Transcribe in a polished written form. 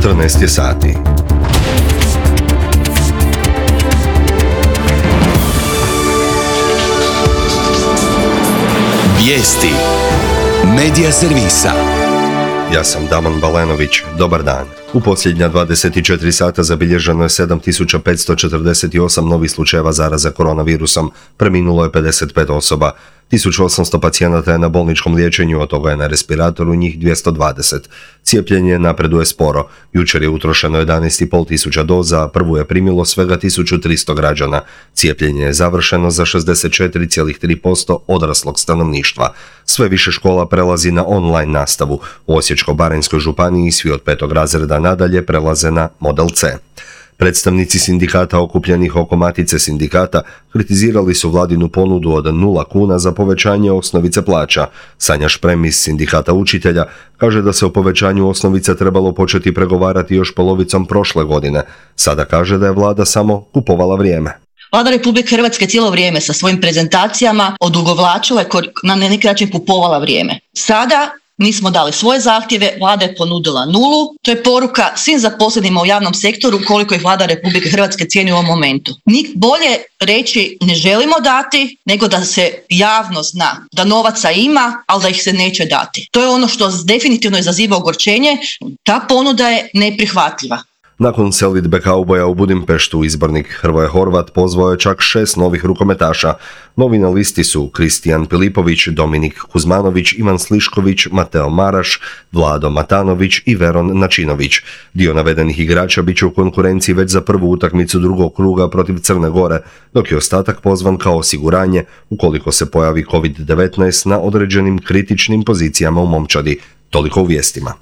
14 je sati. Vijesti Medija servisa. Ja sam Damon Balenović, dobar dan. U posljednja 24 sata zabilježeno je 7548 novih slučajeva zaraze koronavirusom, preminulo je 55 osoba. 1800 pacijenata je na bolničkom liječenju, od toga je na respiratoru njih 220. Cijepljenje napreduje sporo. Jučer je utrošeno 11,5 tisuća doza, prvu je primilo svega 1300 građana. Cijepljenje je završeno za 64,3% odraslog stanovništva. Sve više škola prelazi na online nastavu. U Osječko-baranjskoj županiji svi od 5. razreda nadalje prelaze na model C. Predstavnici sindikata okupljenih oko matice sindikata kritizirali su vladinu ponudu od 0 kuna za povećanje osnovice plaća. Sanja Šprem iz sindikata učitelja kaže da se o povećanju osnovice trebalo početi pregovarati još polovicom prošle godine. Sada kaže da je vlada samo kupovala vrijeme. Vlada Republike Hrvatske cijelo vrijeme sa svojim prezentacijama odugovlačila i na neki način kupovala vrijeme. Sada mi smo dali svoje zahtjeve, vlada je ponudila 0. To je poruka svim zaposlenima u javnom sektoru koliko ih Vlada Republike Hrvatske cijeni u ovom momentu. Bolje reći ne želimo dati, nego da se javno zna da novaca ima, ali da ih se neće dati. To je ono što definitivno izaziva ogorčenje. Ta ponuda je neprihvatljiva. Nakon selidbe kauboja u Budimpeštu, izbornik Hrvoje Horvat pozvao je čak 6 novih rukometaša. Novi na listi su Kristijan Pilipović, Dominik Kuzmanović, Ivan Slišković, Mateo Maraš, Vlado Matanović i Veron Načinović. Dio navedenih igrača bit će u konkurenciji već za prvu utakmicu drugog kruga protiv Crne Gore, dok je ostatak pozvan kao osiguranje ukoliko se pojavi COVID-19 na određenim kritičnim pozicijama u momčadi. Toliko u vijestima.